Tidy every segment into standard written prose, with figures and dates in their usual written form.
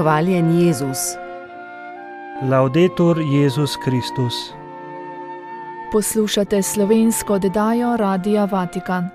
Hvaljen Jezus. Laudetur Jezus Kristus. Poslušate slovensko oddajo Radia Vatikan.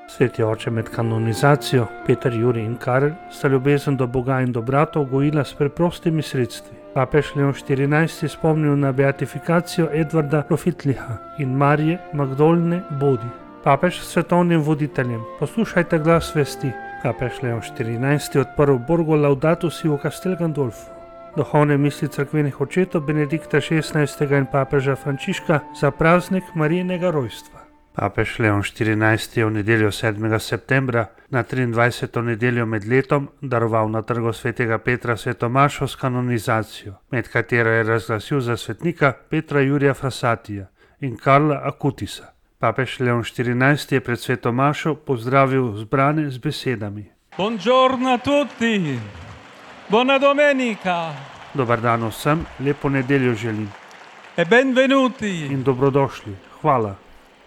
Sveti oče, med kanonizacijo Peter, Jurij in Karel sta ljubezen do Boga in do bratov gojila s preprostimi sredstvi. Papež Leon XIV spomnil na beatifikacijo Edvarda Profitliha in Marije Magdolne Bodi. Papež svetovnim voditeljem: poslušajte glas vesti. Papež Leon XIV odprl Borgo Laudato si v Castel Gandolfu. Duhovne misli cerkvenih očetov Benedikta XVI in papeža Frančiška za praznik Marijinega rojstva. Papež Leon XIV je v nedeljo 7. septembra, na 23. nedeljo med letom, daroval na trgu svetega Petra sveto mašo s kanonizacijo, med katero je razglasil za svetnika Petra Jurija Frassatija in Karla Acutisa. Papež Leon XIV je pred sveto mašo pozdravil zbrane z besedami: Buongiorno a tutti, buona domenica. Dobar dan vsem, lepo nedeljo želim. E benvenuti. In dobrodošli, hvala.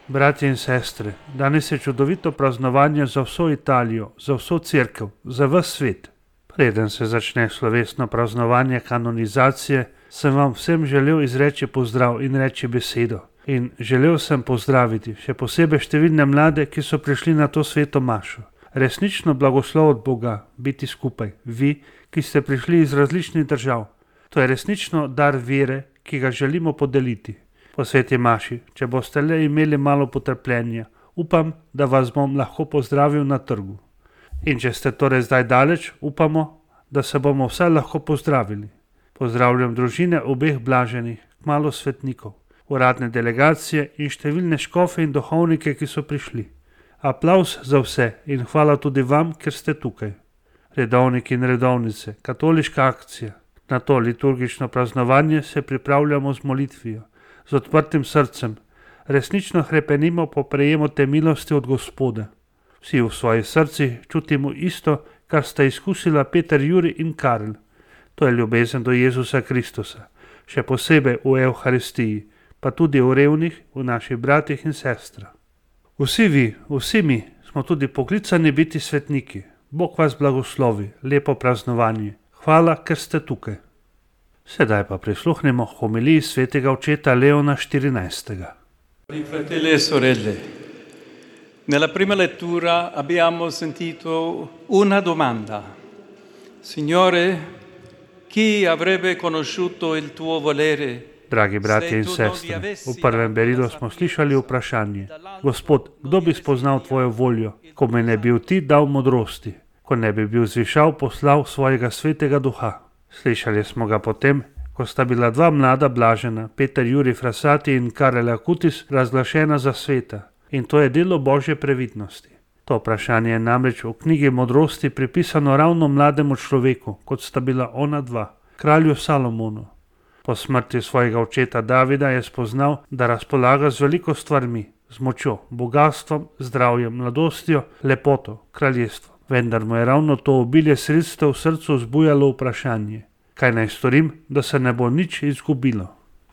Bratje in sestre, danes je čudovito praznovanje za vso Italijo, za vso cerkev, za ves svet. Preden se začne slovesno praznovanje kanonizacije, sem vam vsem želel izreči pozdrav in reči besedo. In želel sem pozdraviti še posebej številne mlade, ki so prišli na to sveto mašo. Resnično blagoslov od Boga biti skupaj, vi, ki ste prišli iz različnih držav. To je resnično dar vere, ki ga želimo podeliti. Po sveti maši, če boste le imeli malo potrpljenja, upam, da vas bom lahko pozdravil na trgu. In če ste torej zdaj daleč, upamo, da se bomo vsaj lahko pozdravili. Pozdravljam družine obeh blaženih, kmalu svetnikov, uradne delegacije in številne škofe in duhovnike, ki so prišli. Aplavz za vse in hvala tudi vam, ker ste tukaj. Redovniki in redovnice, katoliška akcija. Na to liturgično praznovanje se pripravljamo z molitvijo, z odprtim srcem. Resnično hrepenimo po prejemu te milosti od Gospoda. Vsi v svojih srcih čutimo isto, kar sta izkusila Peter, Jurij in Karel. To je ljubezen do Jezusa Kristusa, še posebej v Evharistiji, pa tudi v revnih, v naših bratih in sestrah. Vsi vi, vsi mi smo tudi poklicani biti svetniki. Bog vas blagoslovi, lepo praznovanje. Hvala, ker ste tukaj. Sedaj pa prisluhnemo homiliji svetega očeta Leona XIV. Fratelli e sorelle, nella prima lettura abbiamo sentito una domanda. Signore, chi avrebbe conosciuto il tuo volere? Dragi bratje in sestre, v prvem berilu smo slišali vprašanje: Gospod, kdo bi spoznal tvojo voljo, ko me ne bi ti dal modrosti, ko ne bi bil zvišal poslal svojega svetega duha? Slišali smo ga potem, ko sta bila dva mlada blažena, Peter Jurij Frassati in Karel Acutis, razglašena za sveta. In to je delo Božje previdnosti. To vprašanje je namreč v knjigi modrosti pripisano ravno mlademu človeku, kot sta bila ona dva, kralju Salomonu. Po smrti svojega očeta Davida je spoznal, da razpolaga z veliko stvarmi, z močjo, bogatstvom, zdravjem, mladostjo, lepoto, kraljestvom. Vendar mu je ravno to obilje sredstev v srcu vzbujalo vprašanje: kaj naj storim, da se ne bo nič izgubilo?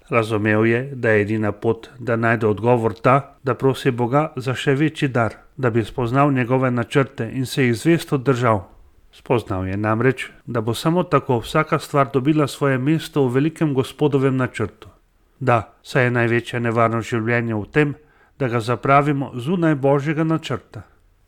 Razumel je, da je edina pot, da najde odgovor ta, da prosi Boga za še večji dar, da bi spoznal njegove načrte in se jih zvesto držal. Spoznal je namreč, da bo samo tako vsaka stvar dobila svoje mesto v velikem Gospodovem načrtu. Da, saj je največja nevarnost življenja v tem, da ga zapravimo zunaj Božjega načrta.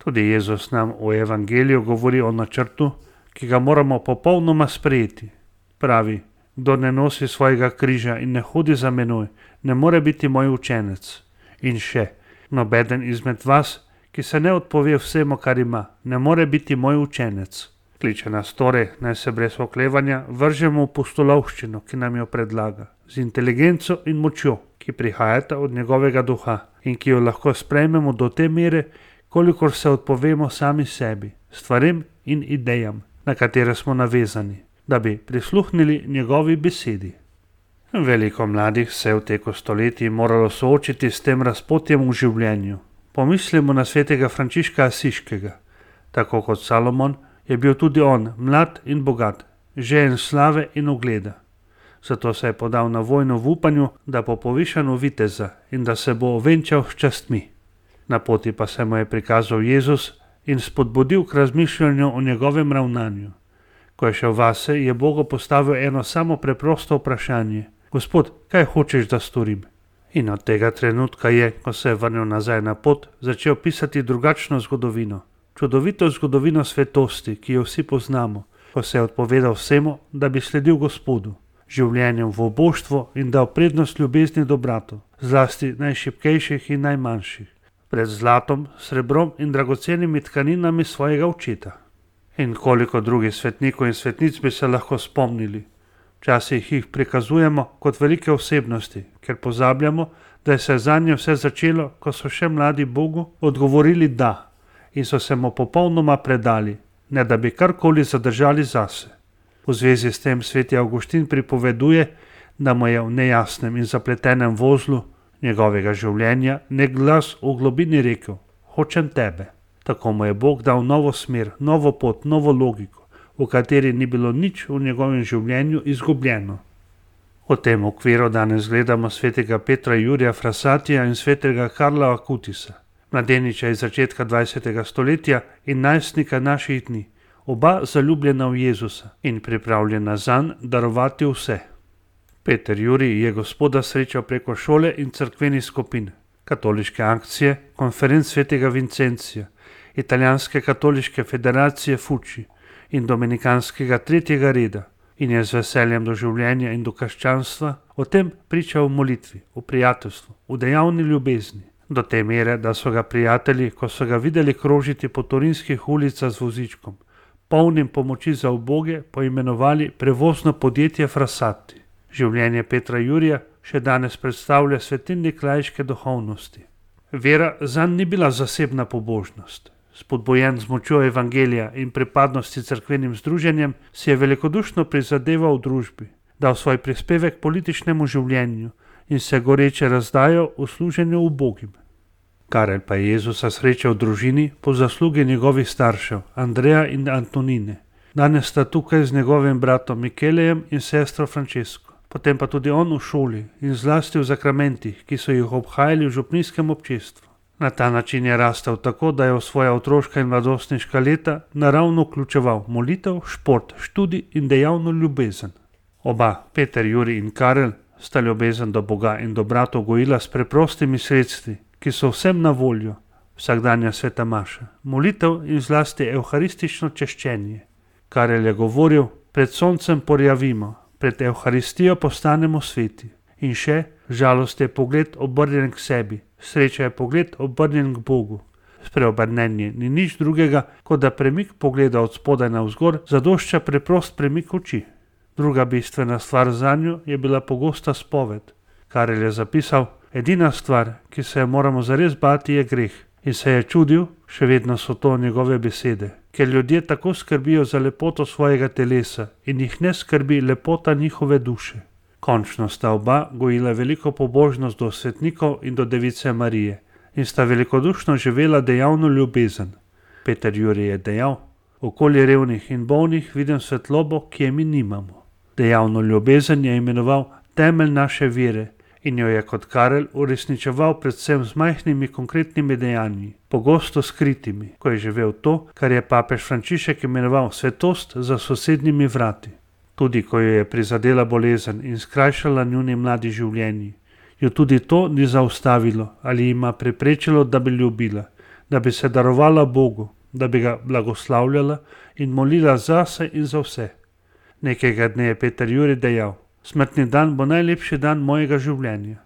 Tudi Jezus nam v evangeliju govori o načrtu, ki ga moramo popolnoma sprejeti. Pravi: kdo ne nosi svojega križa in ne hodi za menoj, ne more biti moj učenec. In še: nobeden izmed vas, ki se ne odpove vsemu, kar ima, ne more biti moj učenec. Kliče nas torej, naj se brez oklevanja vržemo v pustolovščino, ki nam jo predlaga, z inteligenco in močjo, ki prihajata od njegovega duha in ki jo lahko sprejmemo do te mere, kolikor se odpovemo sami sebi, stvarem in idejam, na katere smo navezani, da bi prisluhnili njegovi besedi. Veliko mladih se je v teku stoletij moralo soočiti s tem razpotjem v življenju. Pomislimo na svetega Frančiška Asiškega. Tako kot Salomon je bil tudi on mlad in bogat, žejen slave in ugleda. Zato se je podal na vojno v upanju, da bo povišan v viteza in da se bo ovenčal s častmi. Na poti pa se mu je prikazal Jezus in spodbudil k razmišljanju o njegovem ravnanju. Ko je šel vase, je Bogu postavil eno samo preprosto vprašanje. Gospod, kaj hočeš, da storim? In od tega trenutka je, ko se je vrnil nazaj na pot, začel pisati drugačno zgodovino. Čudovito zgodovino svetosti, ki jo vsi poznamo, ko se je odpovedal vsemu, da bi sledil Gospodu, življenjem v oboštvu in dal prednost ljubezni do bratov, zlasti najšibkejših in najmanjših, pred zlatom, srebrom in dragocenimi tkaninami svojega očeta. In koliko drugih svetnikov in svetnic bi se lahko spomnili. Včasih jih prikazujemo kot velike osebnosti, ker pozabljamo, da se je zanje vse začelo, ko so še mladi Bogu odgovorili da in so se mu popolnoma predali, ne da bi karkoli zadržali zase. V zvezi s tem sveti Avguštin pripoveduje, da mu je v nejasnem in zapletenem vozlu njegovega življenja nek glas v globini rekel: hočem tebe. Tako mu je Bog dal novo smer, novo pot, novo logiko, v kateri ni bilo nič v njegovem življenju izgubljeno. V tem okviru danes gledamo svetega Petra Jurija Frassatija in svetega Karla Akutisa, mladeniča iz začetka 20. stoletja in najstnika naših dni, oba zaljubljena v Jezusa in pripravljena zanj darovati vse. Peter Jurij je Gospoda srečal preko šole in cerkvenih skupin, katoliške akcije, konferenc svetega Vincencija, italijanske katoliške federacije Fuči in dominikanskega tretjega reda in je z veseljem do življenja in do krščanstva o tem pričal v molitvi, v prijateljstvu, v dejavni ljubezni, do te mere, da so ga prijatelji, ko so ga videli krožiti po torinskih ulicah z vozičkom, polnim pomoči za uboge, poimenovali prevozno podjetje Frassati. Življenje Petra Jurija še danes predstavlja svetilnik laiške duhovnosti. Vera zanj ni bila zasebna pobožnost. Spodbujen z močjo evangelija in pripadnosti cerkvenim združenjem, si je velikodušno prizadeval v družbi, dal svoj prispevek političnemu življenju in se goreče razdajal v služenju ubogim. Karel pa je Jezusa srečal v družini po zaslugi njegovih staršev, Andreja in Antonine. Danes sta tukaj z njegovim bratom Mikelejem in sestro Francesko. Potem pa tudi on v šoli in zlasti v zakramentih, ki so jih obhajali v župnijskem občestvu. Na ta način je rastel tako, da je v svoja otroška in mladostniška leta naravno vključeval molitev, šport, študij in dejavno ljubezen. Oba, Peter Jurij in Karel, sta ljubezen do Boga in do bratov gojila s preprostimi sredstvi, ki so vsem na voljo, vsakdanja sveta maša, molitev in zlasti evharistično češčenje. Karel je govoril: pred soncem porjavimo, pred evharistijo postanemo sveti. In še, žalost je pogled obrnjen k sebi, sreča je pogled obrnjen k Bogu. Spreobrnenje ni nič drugega, kot da premik pogleda od spodaj navzgor zadošča preprost premik oči. Druga bistvena stvar zanjo je bila pogosta spoved. Karel je zapisal: edina stvar, ki se je moramo zares bati, je greh. In se je čudil, še vedno so to njegove besede, ker ljudje tako skrbijo za lepoto svojega telesa in jih ne skrbi lepota njihove duše. Končno sta oba gojila veliko pobožnost do svetnikov in do Device Marije in sta velikodušno živela dejavno ljubezen. Peter Jurij je dejal: okoli revnih in bolnih vidim svetlobo, ki je mi nimamo. Dejavno ljubezen je imenoval temelj naše vere in jo je kot Karel uresničeval predvsem z majhnimi konkretnimi dejanji, pogosto skritimi, ko je živel to, kar je papež Frančišek imenoval svetost za sosednjimi vrati. Tudi ko jo je prizadela bolezen in skrajšala njuni mladi življenji, jo tudi to ni zaustavilo ali jima preprečilo, da bi ljubila, da bi se darovala Bogu, da bi ga blagoslavljala in molila zase in za vse. Nekega dne je Peter Jurij dejal: smrtni dan bo najlepši dan mojega življenja.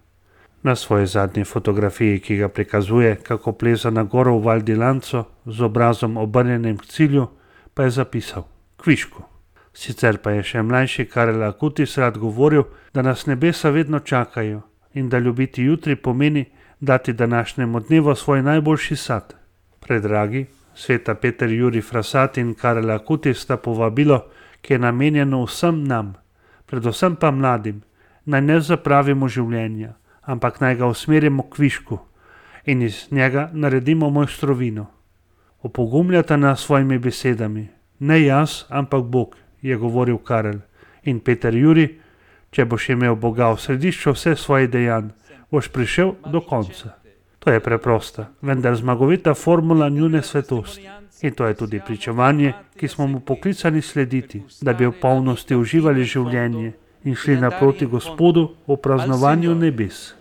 Na svoji zadnji fotografiji, ki ga prikazuje, kako pleza na goro v Val di Lanco z obrazom obrnjenim k cilju, pa je zapisal: kvišku. Sicer pa je še mlajši Karel Akutis rad govoril, da nas nebesa vedno čakajo in da ljubiti jutri pomeni dati današnjemu dnevu svoj najboljši sad. Predragi, sveta Peter Jurij Frassati in Karel Akutis sta povabilo, ki je namenjeno vsem nam, predvsem pa mladim, naj ne zapravimo življenja, ampak naj ga usmerimo k višku in iz njega naredimo mojstrovino. Opogumljata nas svojimi besedami: ne jaz, ampak Bog, je govoril Karel. In Peter Jurij: če boš imel Boga v središču vse svojih dejanj, boš prišel do konca. To je preprosta, vendar zmagovita formula njune svetosti. In to je tudi pričevanje, ki smo mu poklicani slediti, da bi v polnosti uživali življenje in šli naproti Gospodu v praznovanju nebes.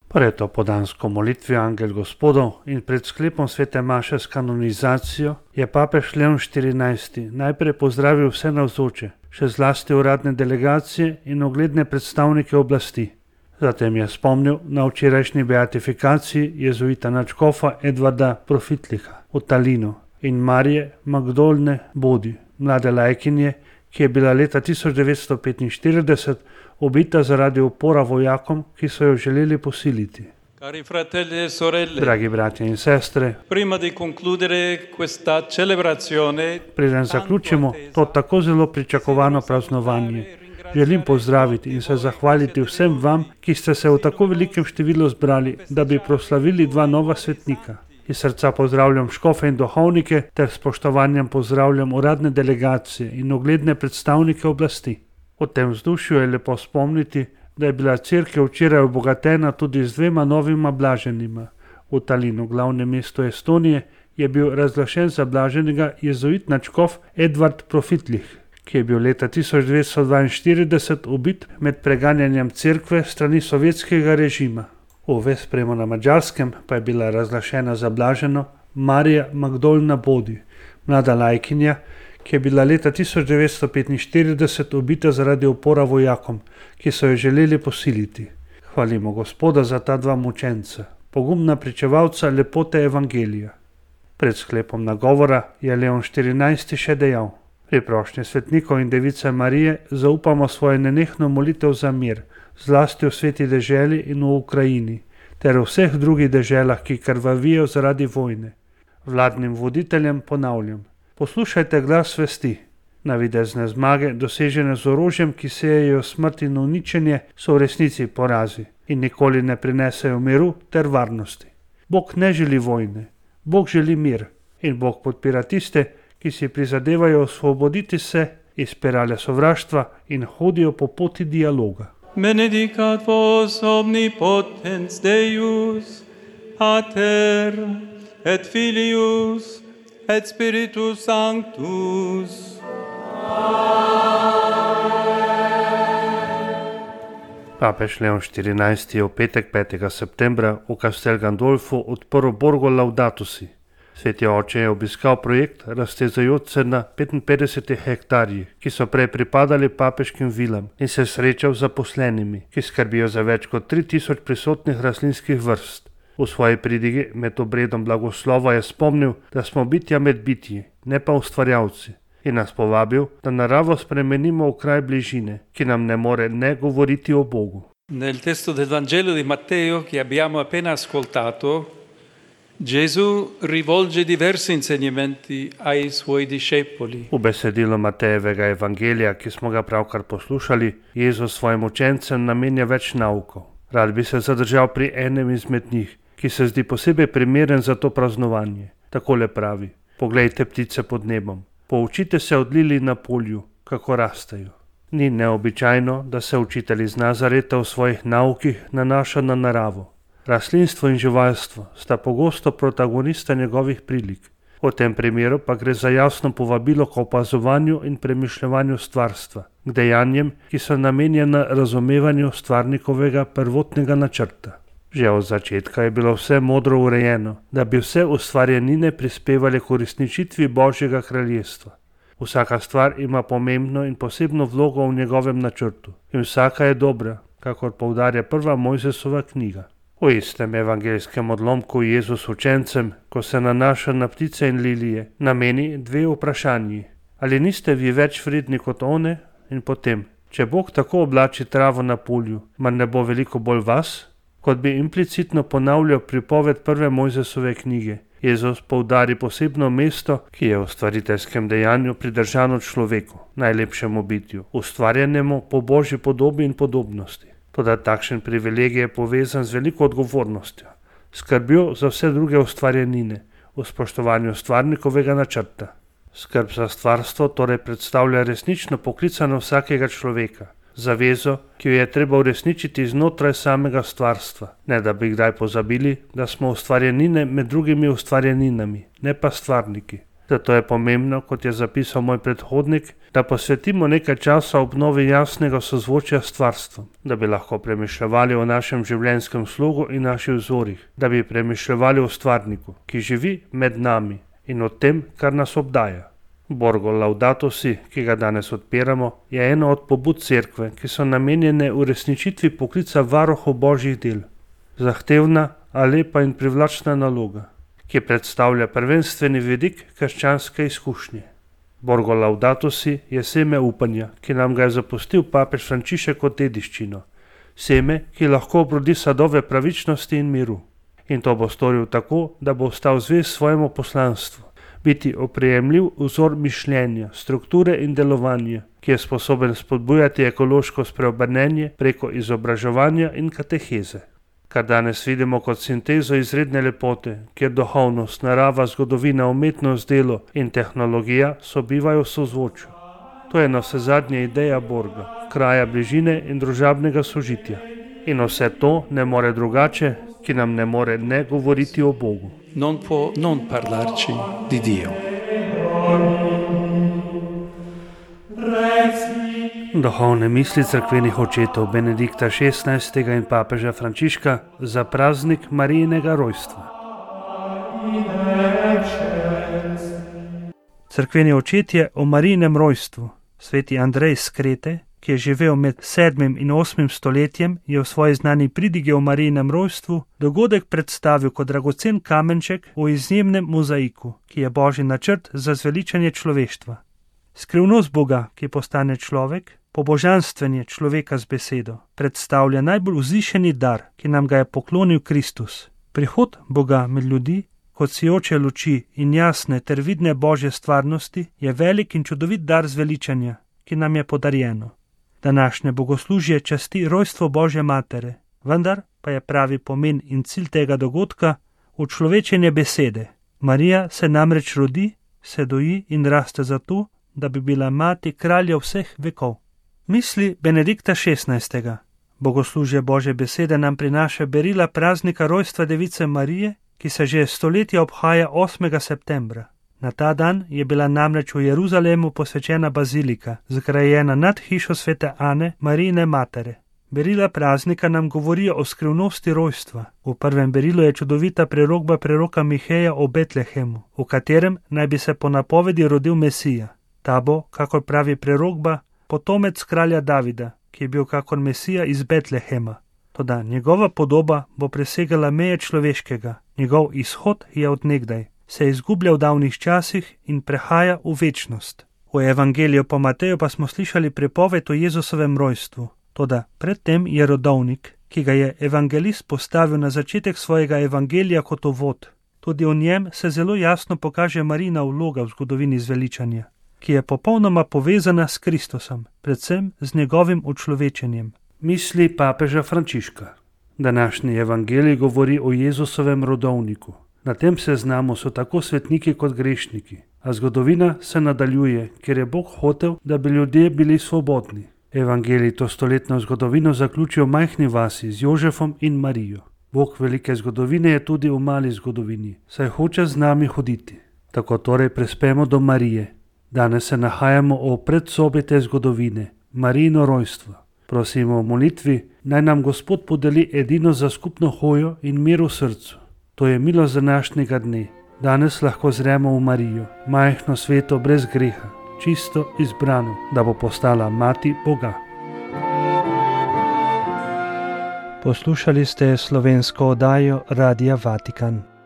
Pred opoldansko molitvijo Angel Gospodov in pred sklepom svete maše s kanonizacijo je papež Leon XIV najprej pozdravil vse navzoče, še zlasti uradne delegacije in ugledne predstavnike oblasti. Zatem je spomnil na včerajšnji beatifikaciji jezuita nadškofa Edvarda Profitliha v Talinu in Marije Magdolne Bodi, mlade lajkinje, ki je bila leta 1945 ubita zaradi upora vojakom, ki so jo želeli posiliti. Dragi bratje in sestre, preden zaključimo to tako zelo pričakovano praznovanje, želim pozdraviti in se zahvaliti vsem vam, ki ste se v tako velikem številu zbrali, da bi proslavili dva nova svetnika. Iz srca pozdravljam škofe in duhovnike ter spoštovanjem pozdravljam uradne delegacije in ugledne predstavnike oblasti. V tem vzdušju je lepo spomniti, da je bila cerkev včeraj obogatena tudi z dvema novima blaženima. V Talinu, glavnem mestu Estonije, je bil razglašen za blaženega jezuit nadškof Edvard Profitlih, ki je bil leta 1942 ubit med preganjanjem cerkve strani sovjetskega režima. V Vespremu na Madžarskem pa je bila razglašena za blaženo Marija Magdolna Bodi, mlada lajkinja, ki je bila leta 1945 ubita zaradi upora vojakom, ki so jo želeli posiliti. Hvalimo Gospoda za ta dva mučenca, pogumna pričevalca lepote evangelija. Pred sklepom nagovora je Leon XIV še dejal: Pri prošnji svetnikov in device Marije zaupamo svojo nenehno molitev za mir, zlasti v sveti deželi in v Ukrajini, ter v vseh drugih deželah, ki krvavijo zaradi vojne. Vladnim voditeljem ponavljam: poslušajte glas svesti. Navidezne zmage, dosežene z orožjem, ki sejejo smrt in uničenje, so v resnici porazi in nikoli ne prinesejo miru ter varnosti. Bog ne želi vojne, Bog želi mir in Bog podpira tiste, ki si prizadevajo osvoboditi se iz spirale sovraštva in hodijo po poti dialoga. Benedicat vos omnipotens Deus, Pater et Filius et Spiritus Sanctus. Papež Leon XIV je v petek 5. septembra v Castel Gandolfu odprl Borgo Laudatusi. Sveti oče je obiskal projekt, raztezajoč se na 55 hektarjih, ki so prej pripadali papeškim vilam, in se srečal z zaposlenimi, ki skrbijo za več kot 3000 prisotnih rastlinskih vrst. V svoji pridigi med obredom blagoslova je spomnil, da smo bitja med bitji, ne pa ustvarjalci, in nas povabil, da naravo spremenimo v kraj bližine, ki nam ne more ne govoriti o Bogu. Nel testo del Vangelo di Matteo che abbiamo appena ascoltato, Gesù rivolge diversi insegnamenti ai suoi discepoli. V besedilu Matejevega evangelija, ki smo ga pravkar poslušali, Jezus svojim učencem namenja več naukov. Rad bi se zadržal pri enem izmed njih, ki se zdi posebej primeren za to praznovanje. Takole pravi: poglejte ptice pod nebom, poučite se od lilij na polju, kako rastejo. Ni neobičajno, da se učitelj iz Nazareta v svojih naukih nanaša na naravo. Rastlinstvo in živalstvo sta pogosto protagonista njegovih prilik. V tem primeru pa gre za jasno povabilo k opazovanju in premišljevanju stvarstva, k dejanjem, ki so namenjena razumevanju stvarnikovega prvotnega načrta. Že od začetka je bilo vse modro urejeno, da bi vse ustvarjenine prispevale k uresničitvi Božjega kraljestva. Vsaka stvar ima pomembno in posebno vlogo v njegovem načrtu in vsaka je dobra, kakor poudarja prva Mojzesova knjiga. V istem evangelskem odlomku Jezus učencem, ko se nanaša na ptice in lilije, nameni dve vprašanji. Ali niste vi več vredni kot one? In potem, če Bog tako oblači travo na polju, mar ne bo veliko bolj vas? Kot bi implicitno ponavljal pripoved prve Mojzesove knjige, Jezus poudari posebno mesto, ki je v stvariteljskem dejanju pridržano človeku, najlepšemu bitju, ustvarjenemu po Božji podobi in podobnosti. Toda takšen privilegij je povezan z veliko odgovornostjo, skrbjo za vse druge ustvarjenine, v spoštovanju stvarnikovega načrta. Skrb za stvarstvo torej predstavlja resnično poklicano vsakega človeka, zavezo, ki jo je treba uresničiti znotraj samega stvarstva, ne da bi kdaj pozabili, da smo ustvarjenine med drugimi ustvarjeninami, ne pa stvarniki. Zato je pomembno, kot je zapisal moj predhodnik, da posvetimo nekaj časa obnovi jasnega sozvočja s stvarstvom, da bi lahko premišljevali o našem življenjskem slogu in naših vzorih, da bi premišljevali o stvarniku, ki živi med nami in o tem, kar nas obdaja. Borgo Laudato Si, ki ga danes odpiramo, je ena od pobud cerkve, ki so namenjene uresničitvi poklica varuhov božjih del. Zahtevna, a lepa in privlačna naloga, ki predstavlja prvenstveni vidik krščanske izkušnje. Borgo Laudato Si je seme upanja, ki nam ga je zapustil papež Frančišek kot dediščino. Seme, ki lahko obrodi sadove pravičnosti in miru. In to bo storil tako, da bo ostal zvest svojemu poslanstvu. Biti oprijemljiv vzor mišljenja, strukture in delovanja, ki je sposoben spodbujati ekološko spreobrnenje preko izobraževanja in kateheze. Kar danes vidimo kot sintezo izredne lepote, kjer duhovnost, narava, zgodovina, umetnost, delo in tehnologija sobivajo v sozvočju. To je navsezadnje ideja Borga, kraja bližine in družabnega sožitja. In vse to ne more drugače, ki nam ne more ne govoriti o Bogu. Non può non parlarci di Dio. Duhovne misli cerkvenih očetov Benedikta XVI. In papeža Frančiška za praznik Marijinega rojstva. Cerkveni očetje o Marijinem rojstvu. Sveti Andrej z Krete, ki je živel med 7. in 8. stoletjem, je v svoji znani pridigi o Marijinem rojstvu dogodek predstavil kot dragocen kamenček v izjemnem mozaiku, ki je božji načrt za zveličanje človeštva. Skrivnost Boga, ki postane človek, pobožanstvenje človeka z besedo, predstavlja najbolj vzvišeni dar, ki nam ga je poklonil Kristus. Prihod Boga med ljudi, kot sijoče luči in jasne ter vidne božje stvarnosti, je velik in čudovit dar zveličanja, ki nam je podarjeno. Današnje bogoslužje časti rojstvo Božje matere, vendar pa je pravi pomen in cilj tega dogodka učlovečenje besede. Marija se namreč rodi, se doji in raste zato, da bi bila mati kralja vseh vekov. Misli Benedikta XVI. Bogoslužje Božje besede nam prinaša berila praznika rojstva Device Marije, ki se že stoletja obhaja 8. septembra. Na ta dan je bila namreč v Jeruzalemu posvečena bazilika, zgrajena nad hišo svete Ane, Marijine matere. Berila praznika nam govorijo o skrivnosti rojstva. V prvem berilu je čudovita prerokba preroka Miheja o Betlehemu, v katerem naj bi se po napovedi rodil Mesija. Ta bo, kakor pravi prerokba, potomec kralja Davida, ki je bil kakor Mesija iz Betlehema. Toda njegova podoba bo presegala meje človeškega, njegov izhod je od nekdaj, se izgublja v davnih časih in prehaja v večnost. V evangeliju po Mateju pa smo slišali pripoved o Jezusovem rojstvu. Toda predtem je rodovnik, ki ga je evangelist postavil na začetek svojega evangelija kot uvod. Tudi v njem se zelo jasno pokaže Marijina vloga v zgodovini zveličanja, ki je popolnoma povezana s Kristusom, predvsem z njegovim učlovečenjem. Misli papeža Frančiška. Današnji evangelij govori o Jezusovem rodovniku. Na tem seznamu so tako svetniki kot grešniki, a zgodovina se nadaljuje, ker je Bog hotel, da bi ljudje bili svobodni. Evangelij to stoletno zgodovino zaključijo v majhni vasi z Jožefom in Marijo. Bog velike zgodovine je tudi v mali zgodovini, saj hoče z nami hoditi. Tako torej prispemo do Marije. Danes se nahajamo v predsobi te zgodovine, Marijino rojstvo. Prosimo v molitvi, naj nam Gospod podeli edino za skupno hojo in mir v srcu. To je milost današnjega dne. Danes lahko zremo v Marijo, majhno sveto brez greha, čisto izbrano, da bo postala mati Boga. Poslušali ste slovensko oddajo Radia Vatikan.